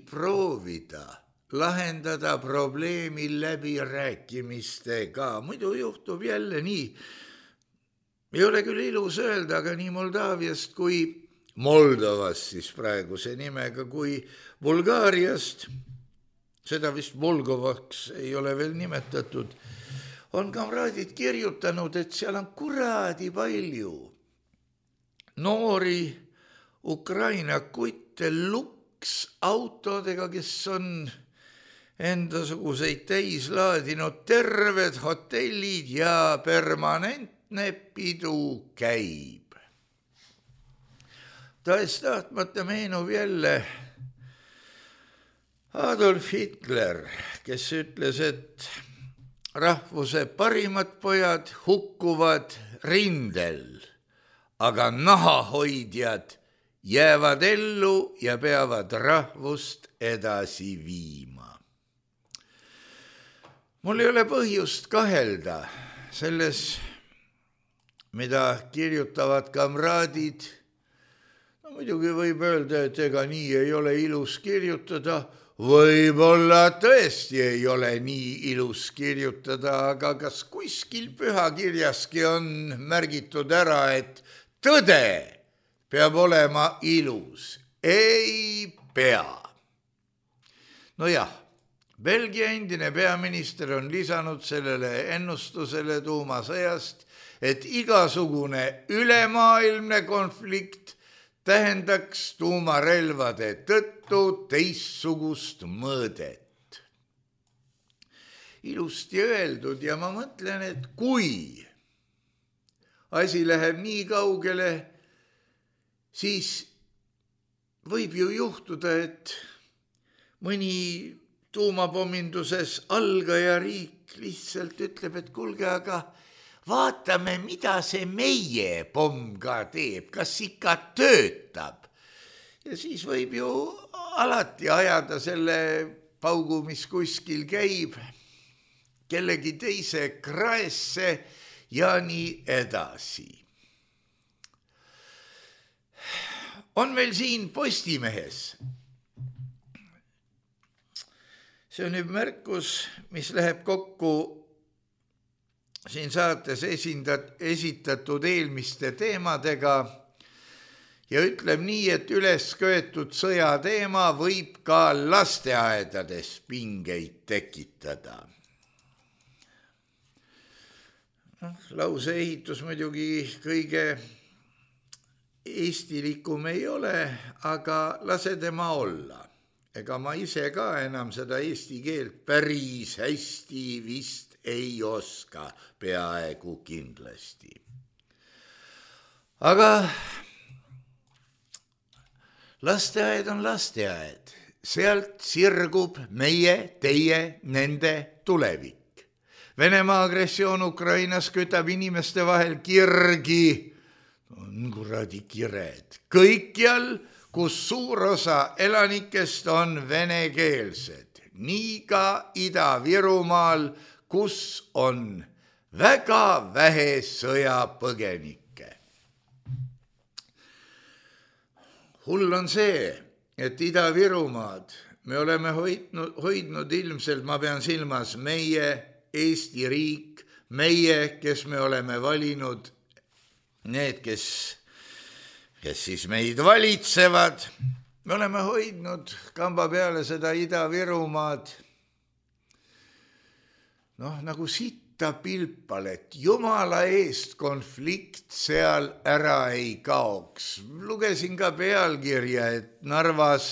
[SPEAKER 3] proovida lahendada probleemi läbirääkimistega. Muidu juhtub jälle nii. Ei ole küll ilus öelda, aga nii Moldaaviast kui Moldovast siis praeguse nimega kui Bulgaariast, seda vist Volgovaks ei ole veel nimetatud, on kamraadid kirjutanud, et seal on kuradi palju noori Ukraina kutte luksautodega, kes on endasuguseid täis laadinud terved hotellid ja permanentne pidu käib. Tahes-tahtmata meenub jälle Adolf Hitler, kes ütles, et rahvuse parimad pojad hukkuvad rindel, aga nahahoidjad jäävad ellu ja peavad rahvust edasi viima. Mul ei ole põhjust kahelda selles, mida kirjutavad kamraadid Muidugi võib öelda, et ega nii ei ole ilus kirjutada, võib-olla tõesti ei ole nii ilus kirjutada, aga kas kuskil pühakirjaski on märgitud ära, et tõde peab olema ilus? Ei pea. Nojah, Belgia endine peaminister on lisanud sellele ennustusele tuumasõjast, et igasugune ülemaailmne konflikt tähendaks tuumarelvade tõttu teistsugust mõõdet. Ilusti öeldud ja ma mõtlen, et kui asi läheb nii kaugele, siis võib ju juhtuda, et mõni tuumapomminduses algaja riik lihtsalt ütleb, et kuulge, aga vaatame, mida see meie pomm ka teeb, kas ikka töötab. Ja siis võib ju alati ajada selle paugu, mis kuskil käib, kellegi teise kraesse ja nii edasi. On meil siin Postimehes. See on nüüd märkus, mis läheb kokku siin saates esitatud eelmiste teemadega ja ütleb nii, et üles köetud sõjateema võib ka lasteaedades pingeid tekitada. Lause ehitus muidugi kõige eestilikum ei ole, aga lase tema olla. Ega ma ise ka enam seda eesti keelt päris hästi vist ei oska, peaaegu kindlasti. Aga lasteaed on lasteaed, sealt sirgub meie, teie, nende tulevik. Venemaa agressioon Ukrainas kütab inimeste vahel kirgi, on kuradi kired, kõikjal, kus suur osa elanikest on venekeelsed, nii ka Ida-Virumaal, kus on väga vähe sõjapõgenikke. Hull on see, et Ida-Virumaad me oleme hoidnud ilmselt, ma pean silmas meie Eesti riik, meie, kes me oleme valinud, need, kes siis meid valitsevad, me oleme hoidnud kamba peale seda Ida-Virumaad nagu sitta pilpal, et jumala eest konflikt seal ära ei kaoks. Lugesin ka pealkirja, et Narvas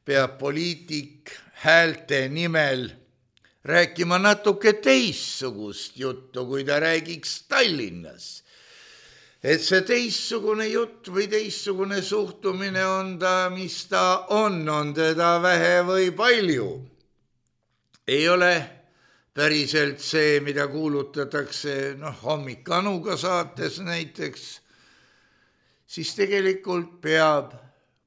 [SPEAKER 3] peab poliitik häälte nimel rääkima natuke teissugust juttu, kui ta räägiks Tallinnas. Et see teissugune jutt või teissugune suhtumine on ta, mis ta on teda vähe või palju. Ei ole päriselt see, mida kuulutatakse hommikanuga saates näiteks, siis tegelikult peab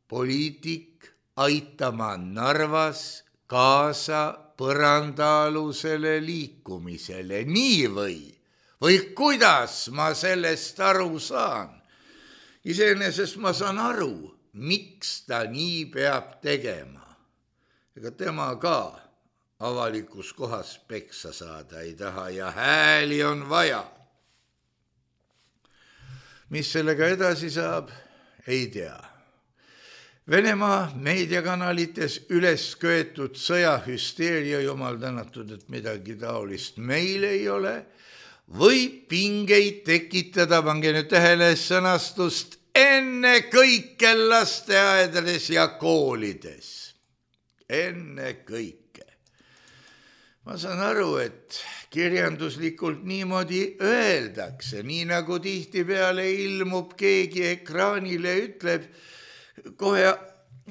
[SPEAKER 3] poliitik aitama Narvas kaasa põrandaalusele liikumisele. Nii või kuidas ma sellest aru saan? Iseenesest ma saan aru, miks ta nii peab tegema. Ega tema ka avalikus kohas peksa saada ei taha ja hääli on vaja. Mis sellega edasi saab, ei tea. Venemaa meediakanalites üles köetud sõjahüsteeria, jumal tänatud, et midagi taolist meil ei ole, võib pingeid tekitada, pange nüüd tähele sõnastust, enne kõike lasteaedades ja koolides. Enne kõike. Ma saan aru, et kirjanduslikult niimoodi öeldakse, nii nagu tihtipeale ilmub keegi ekraanile, ütleb kohe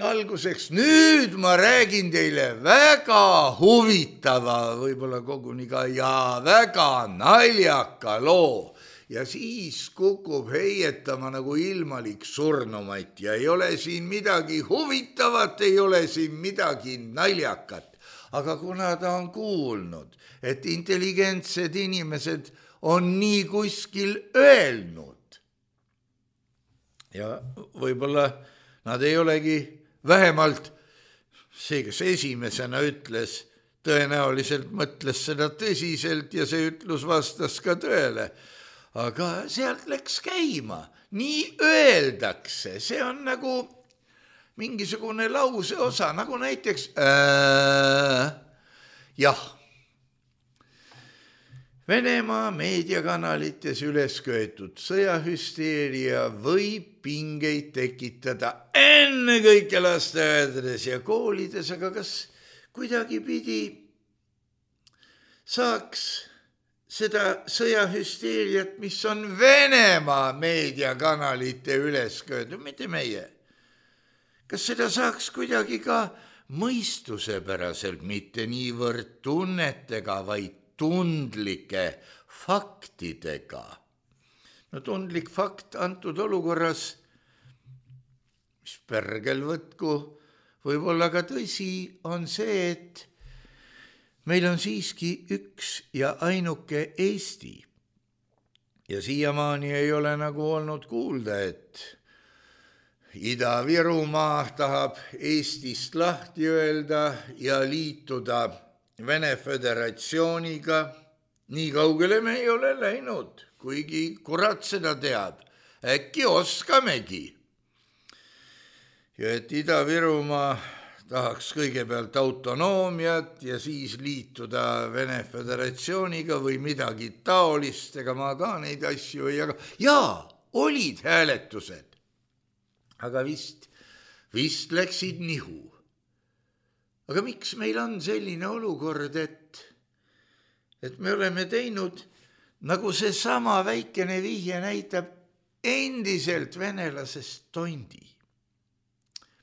[SPEAKER 3] alguseks, nüüd ma räägin teile väga huvitava, võib-olla koguni ka ja väga naljaka loo. Ja siis kukub heietama nagu ilmalik surnumaid ja ei ole siin midagi huvitavat, ei ole siin midagi naljakat. Aga kuna ta on kuulnud, et intelligentsed inimesed on nii kuskil öelnud ja võib-olla Nad ei olegi vähemalt see, kes esimesena ütles, tõenäoliselt mõtles seda tõsiselt ja see ütlus vastas ka tõele. Aga sealt läks käima, nii öeldakse, see on nagu mingisugune lause osa, nagu näiteks jah. Venemaa meediakanalites üles köetud sõjahüsteeria võib pingeid tekitada ennekõike lasteaedades ja koolides, aga kas kuidagi pidi saaks seda sõjahüsteeriat, mis on Venemaa meediakanalite üles köetud, mitte meie. Kas seda saaks kuidagi ka mõistusepäraselt, mitte niivõrd tunnetega, vaid tundlike faktidega? No tundlik fakt antud olukorras, mis pärgel võtku, võib olla ka tõsi, on see, et meil on siiski üks ja ainuke Eesti. Ja siiamaani ei ole nagu olnud kuulda, et Ida-Virumaa tahab Eestist lahti öelda ja liituda Vene Föderatsiooniga. Nii kaugele me ei ole läinud, kuigi kurat seda teab. Äkki oskamegi. Ja et Ida-Virumaa tahaks kõigepealt autonoomiat ja siis liituda Vene Föderatsiooniga või midagi taolist, ega ma ka neid asju ei jaga. Jaa, olid hääletused. Aga vist läksid nihu. Aga miks meil on selline olukord, et me oleme teinud, nagu see sama väikene vihje näitab, endiselt venelasest tondi?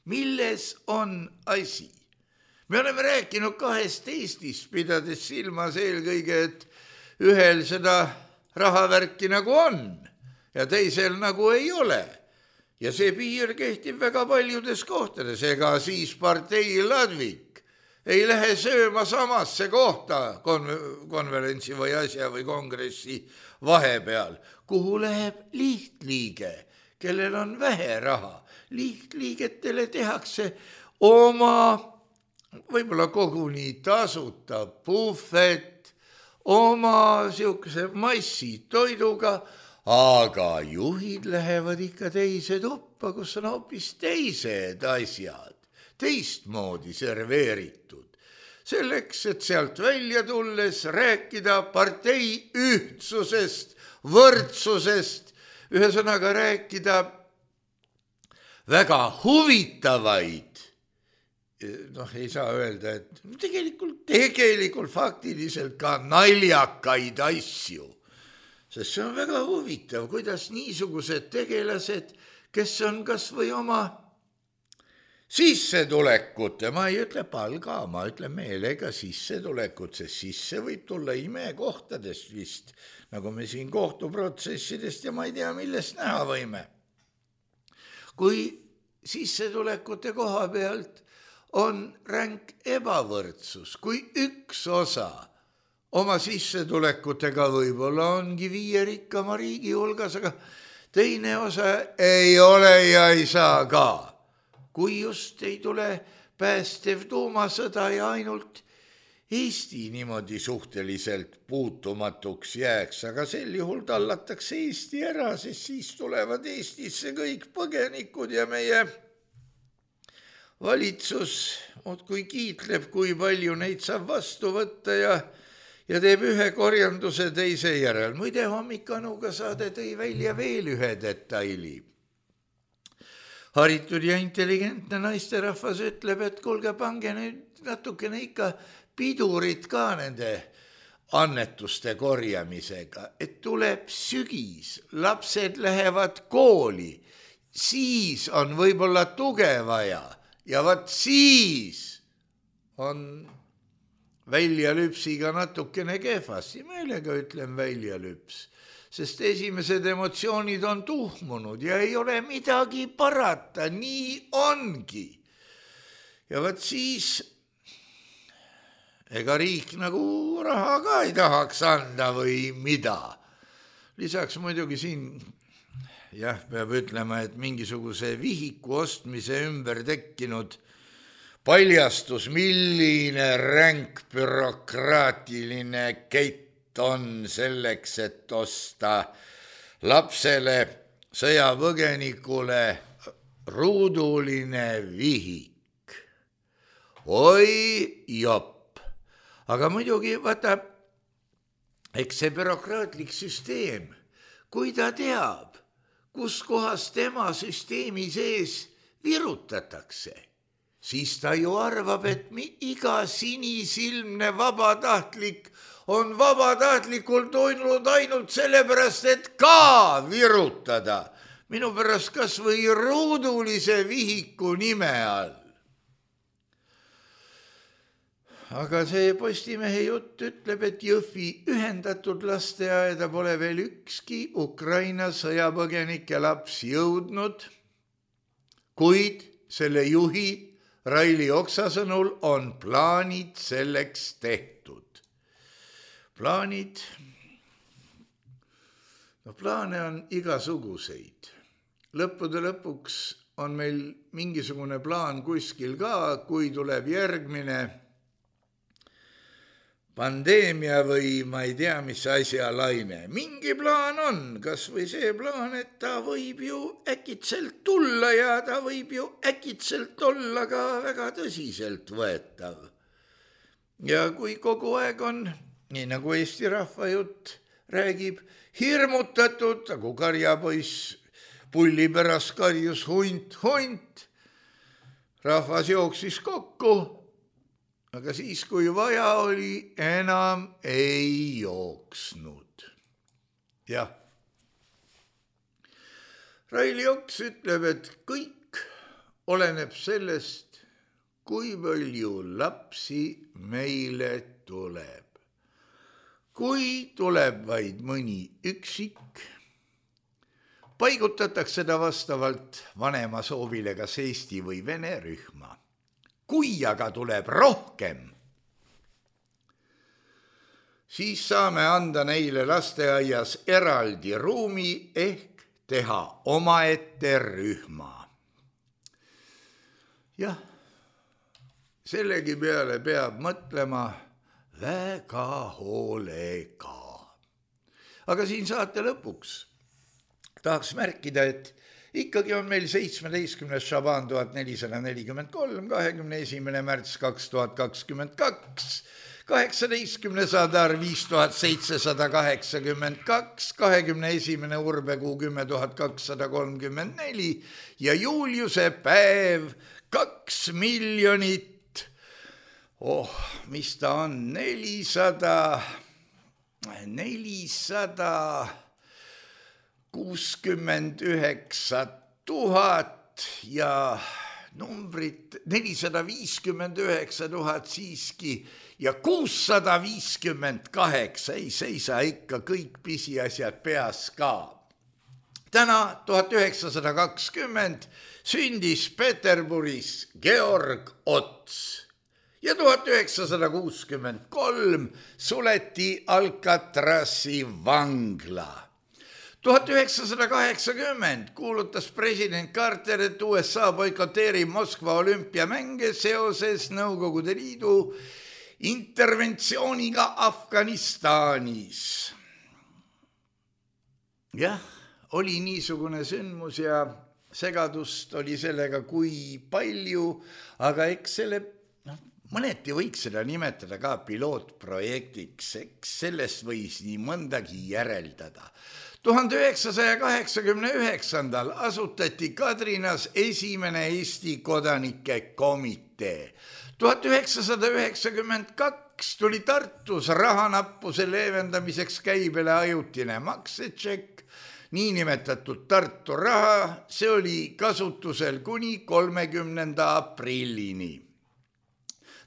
[SPEAKER 3] Milles on asi? Me oleme rääkinud kahest Eestist, pidades silmas eelkõige, et ühel seda rahavärki nagu on ja teisel nagu ei ole. Ja see piir kehtib väga paljudes kohtades, ega siis partei Ladvik ei lähe sööma samasse kohta konverentsi või asja või kongressi vahepeal, kuhu läheb lihtliige, kellel on vähe raha. Lihtliigetele tehakse oma, võib-olla koguni tasuta puhvet, oma siukese massitoiduga, aga juhid lähevad ikka teise tuppa, kus on hoopis teised asjad, teistmoodi serveeritud. Selleks, et sealt välja tulles rääkida partei ühtsusest, võrdsusest, ühesõnaga rääkida väga huvitavaid, ei saa öelda, et tegelikult faktiliselt ka naljakaid asju. Sest see on väga huvitav, kuidas niisugused tegelased, kes on kas või oma sissetulekute, ma ei ütle palga, ma ütlen meelega sissetulekut, sest sisse võib tulla imekohtadest vist, nagu me siin kohtuprotsessidest ja ma ei tea, millest näha võime. Kui sissetulekute koha pealt on ränk ebavõrdsus, kui üks osa oma sissetulekutega võib-olla ongi 5 rikkama riigi hulgas, aga teine osa ei ole ja ei saa ka. Kui just ei tule päästev tuumasõda ja ainult Eesti niimoodi suhteliselt puutumatuks jääks, aga sel juhul tallatakse Eesti ära, sest siis tulevad Eestisse kõik põgenikud ja meie valitsus kui kiitleb, kui palju neid saab vastu võtta ja teeb ühe korjanduse teise järel. Muide, hommikanuga saade tõi välja veel ühe detaili. Haritud ja intelligentne naisterahvas ütleb, et kuulge, pange nüüd natukene ikka pidurit ka nende annetuste korjamisega, et tuleb sügis, lapsed lähevad kooli, siis on võib-olla tuge vaja ja vaat siis on väljalüpsiga natukene kehvasti, meelega ütlen väljalüps, sest esimesed emotsioonid on tuhmunud ja ei ole midagi parata, nii ongi. Ja vaat siis ega riik nagu raha ka ei tahaks anda või mida. Lisaks muidugi siin jah, peab ütlema, et mingisuguse vihiku ostmise ümber tekkinud paljastus, milline ränk bürokraatiline keit on selleks, et osta lapsele, sõjapõgenikule ruuduline vihik. Oi jopp, aga muidugi vaata, eks see bürokraatlik süsteem, kui ta teab, kus kohas tema süsteemi sees virutatakse, siis ta ju arvab, et iga sinisilmne vabatahtlik on vabatahtlikult olnud ainult sellepärast, et ka virutada. Minu pärast kas või ruudulise vihiku nime all. Aga see Postimehe jutt ütleb, et Jõhvi ühendatud lasteaeda pole veel ükski Ukraina sõjapõgenike laps jõudnud, kuid selle juhi Raili Oksa sõnul on plaanid selleks tehtud. Plaane on igasuguseid. Lõppude lõpuks on meil mingisugune plaan kuskil ka, kui tuleb järgmine pandeemia või ma ei tea, mis asja laine. Mingi plaan on, kas või see plaan, et ta võib ju äkitselt tulla ja ta võib ju äkitselt olla ka väga tõsiselt võetav. Ja kui kogu aeg on, nii nagu Eesti rahvajutt räägib, hirmutatud, nagu karjapoiss pulli pärast karjus hunt, rahvas jooksis kokku, aga siis, kui vaja oli, enam ei jooksnud. Jah. Raili Oks ütleb, et kõik oleneb sellest, kui palju lapsi meile tuleb. Kui tuleb vaid mõni üksik, paigutatakse ta vastavalt vanema soovile kas eesti või vene rühma. Kui aga tuleb rohkem, siis saame anda neile lasteaias eraldi ruumi ehk teha omaette rühma. Jah, sellegi peale peab mõtlema väga hoolega. Aga siin saate lõpuks tahaks märkida, et ikkagi on meil 17. Šaban 1443, 21. märts 2022, 18. Sadar 5782, 21. Urbekuu 10234 ja Juliuse päev 2 miljonit, mis ta on, 469 000 ja numbrit 459 000 siiski ja 658, ei seisa ikka kõik pisiasjad peas ka. Täna 1920 sündis Peterburis Georg Ots ja 1963 suleti Alcatrazi vangla. 1980 kuulutas president Carter, et USA boikoteerib Moskva olümpiamänge seoses Nõukogude Liidu interventsiooniga Afganistanis. Jah, oli niisugune sündmus ja segadust oli sellega kui palju, aga eks selle mõneti võiks seda nimetada ka pilootprojektiks, eks sellest võis nii mõndagi järeldada. 1989. asutati Kadrinas esimene Eesti kodanike komitee. 1992 tuli Tartus rahanappuse leevendamiseks käibele ajutine maksetšekk, niinimetatud Tartu raha, see oli kasutusel kuni 30. aprillini.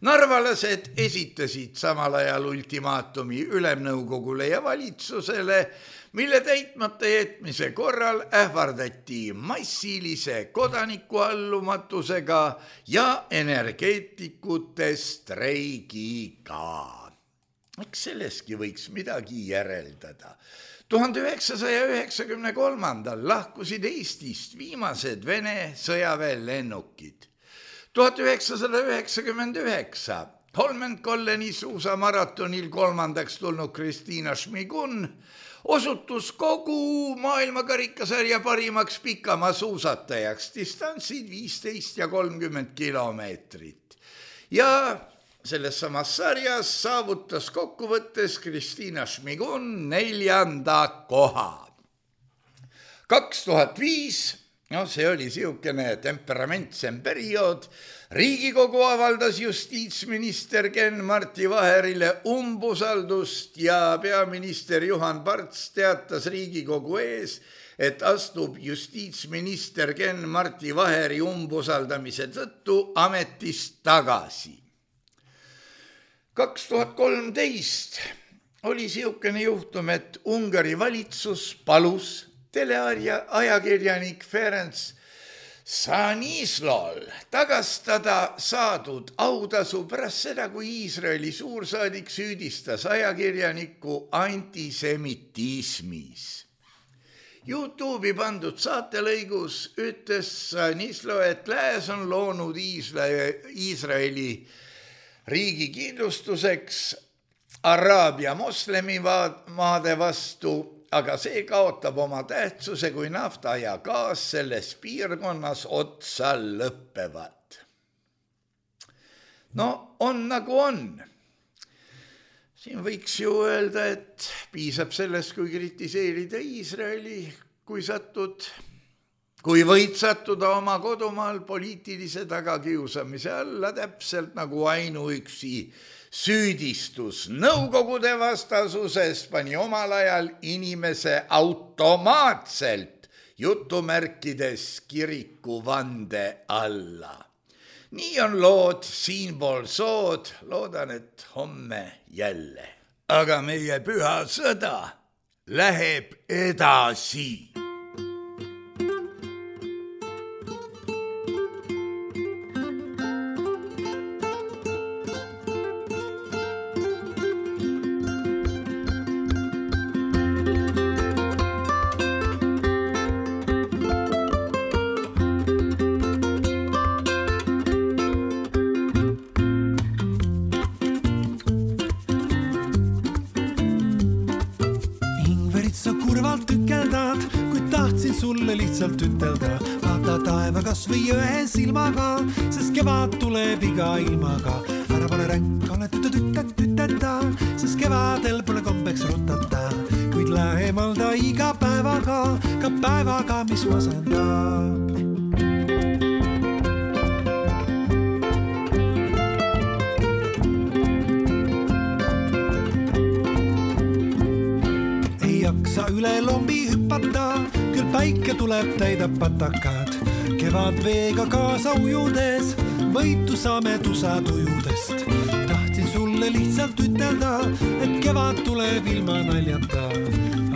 [SPEAKER 3] Narvalased esitasid samal ajal ultimaatumi Ülemnõukogule ja valitsusele, mille täitmata jätmise korral ähvardati massilise kodanikuallumatusega ja energeetikute streigiga. eks selleski võiks midagi järeldada. 1993. lahkusid Eestist viimased Vene sõjaväelennukid. 1999 Holmenkolleni suusamaratonil 3. tulnud Kristiina Šmigun osutus kogu maailmakarikasarja parimaks pikamaa suusatajaks, distantsid 15 ja 30 kilomeetrit. Ja selles samas sarjas saavutas kokkuvõttes Kristiina Šmigun 4. koha. 2005, see oli siukene temperamentsem periood, Riigikogu avaldas justiitsminister Ken-Marti Vaherile umbusaldust ja peaminister Juhan Parts teatas Riigikogu ees, et astub justiitsminister Ken-Marti Vaheri umbusaldamise tõttu ametist tagasi. 2013 oli siukene juhtum, et Ungari valitsus palus teleajakirjanik Ferenc Sanislol tagastada saadud autasu pärast seda, kui Iisraeli suursaadik süüdistas ajakirjanikku antisemitismis. YouTube'i pandud saatelõigus ütles Sanislo, et lääs on loonud Iisraeli riigi kindlustuseks Araabia moslemimaade vastu, aga see kaotab oma tähtsuse, kui nafta ja gaas selles piirkonnas otsa lõppevad. On nagu on. Siin võiks ju öelda, et piisab sellest, kui kritiseerida Iisraeli, kui võid sattuda oma kodumaal poliitilise tagakiusamise alla, täpselt nagu ainuüksi süüdistus Nõukogude vastasuses pani omal ajal inimese automaatselt jutumärkides kirikuvande alla. Nii on lood siinpool sood, loodan, et homme jälle. Aga meie püha sõda läheb edasi.
[SPEAKER 4] Lihtsalt ütelda, vaata taeva kas või ühe silmaga, sest kevad tuleb iga ilmaga. Ära pane ränk, ole tüteta, sest kevadel pole kombeks rutata, kuid lähemal ta iga päevaga, ka päevaga, mis masendab. Ei jaksa üle lombi hüppata, küll päike tuleb täidab patakad. Kevad veega kaasa ujudes, võitu saame tusatujudest. Tahtsin sulle lihtsalt ütelda, et kevad tuleb ilma naljata.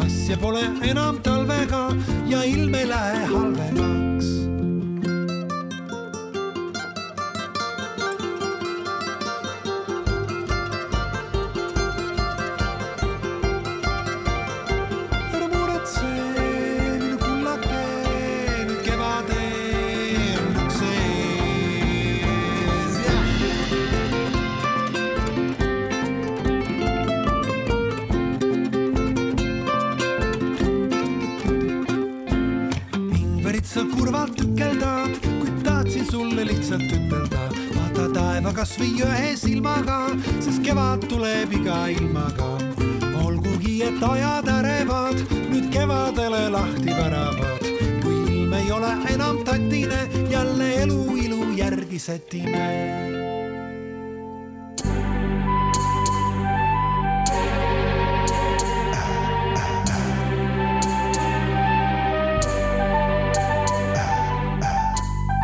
[SPEAKER 4] Asja pole enam talvega ja ilm ei lähe halvemaks. Vaata taeva kas või ühe silmaga, sest kevad tuleb iga ilmaga. Olgugi, et ajad ärevad, nüüd kevadele lahti väravad. Kui ilm ei ole enam tatine, jälle elu ilu järgi sätime.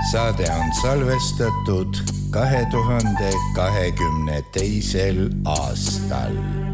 [SPEAKER 3] Saade on salvestatud 2022. aastal.